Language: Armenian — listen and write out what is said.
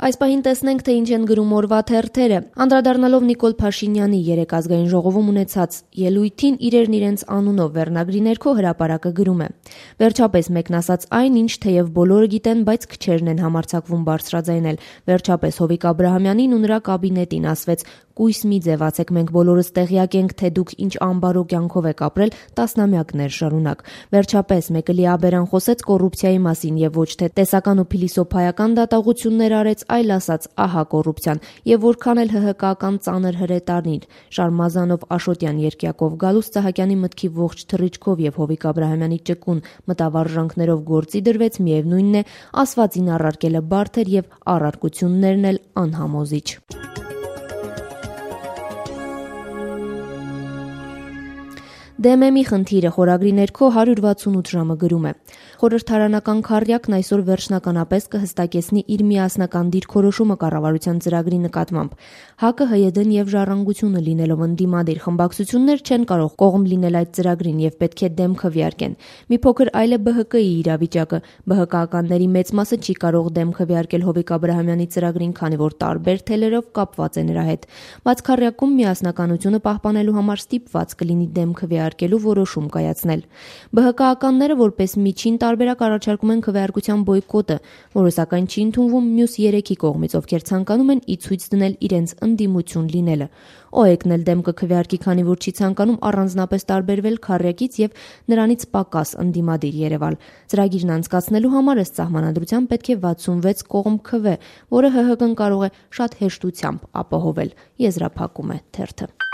Այս պահին տեսնենք, թե ինչ են գրում օրվա թերթերը։ Անդրադառնալով Նիկոլ Փաշինյանի երեկ ազգային ժողովում ունեցած ելույթին իրերն իրենց անունով վերնագրի ներքո հրապարակը գրում է. Վերջապես մեկն ասաց այն, ինչ թեև բոլորը գիտեն, բայց քչերն են համարձակվում բարձրաձայնել։ Վերջապես Հովիկ Աբրահամյանին ու նրա կաբինետին ասվեց. «Կույս մի ձևացեք, մենք բոլորս տեղյակ ենք, թե դուք ինչ ամբարո կյանքով եք ապրել տասնամյակներ շարունակ»։ Վերջապես մեկը լիաբերան խոսեց կոռուպցիայի մասին եւ ոչ թե տեսական ու փիլիսոփայական դատողություններ արեց, այլ ասաց՝ ահա կոռուպցիան, եւ որքան էլ ՀՀԿ-ական ծանր հրետանիլ Շարմազանով Աշոտյան երկյակով Գալուստ Սահակյանի մտքի ողջ թռիչքով եւ Հովիկ Աբրահամյանի ճկուն մտավարժանքներով գործի դրվեց, միևնույնն է, ասվածին առարկելը բարդ էր եւ առարկություններն էլ անհամոզիչ։ ԴՄՄ-ի խնդիրը խորագրի ներքո 168 ժամը գրում է. Խորհրդարանական քառյակն այսօր վերջնականապես կհստակեցնի իր միասնական դիրքորոշումը կառավարության ծրագրի նկատմամբ։ ՀԱԿ-ը, ՀՅԴ-ն եւ Ժառանգությունը լինելով ընդդիմադիր խմբակցություններ չեն կարող կողմ լինել այդ ծրագրին եւ պետք է դեմ քվեարկեն։ Մի փոքր այլ է ԲՀԿ-ի իրավիճակը։ ԲՀԿ-ականների մեծ մասը չի կարող դեմ քվեարկել Հովիկ Աբրահամյանի ծրագրին, քանի որ տարբեր թելերով կապված է նրա հետ։ Բայց քառյակում միասնականությունը պահպանելու համար ստիպված կլինի դեմ քվեարկելու որոշում կայացնել։ ԲՀԿ-ականները որպես միջին տարբերակ առաջարկում են քվեարկության բոյկոտը, որը սակայն չի ընդունվում մյուս 3-ի կողմից, ովքեր ցանկանում են ի ցույց դնել իրենց ընդդիմություն լինելը։ ՕԵԿ-ն էլ դեմ կքվեարկի, քանի որ չի ցանկանում առանձնապես տարբերվել քառյակից եւ նրանից պակաս ընդդիմադիր երևալ։ Ծրագիրն անցկացնելու համար ըստ սահմանադրության պետք է 66 կողմ քվե, որը ՀՀԿ-ն կարող է շատ հեշտությամբ ապահովել, եզրափակում է թերթը։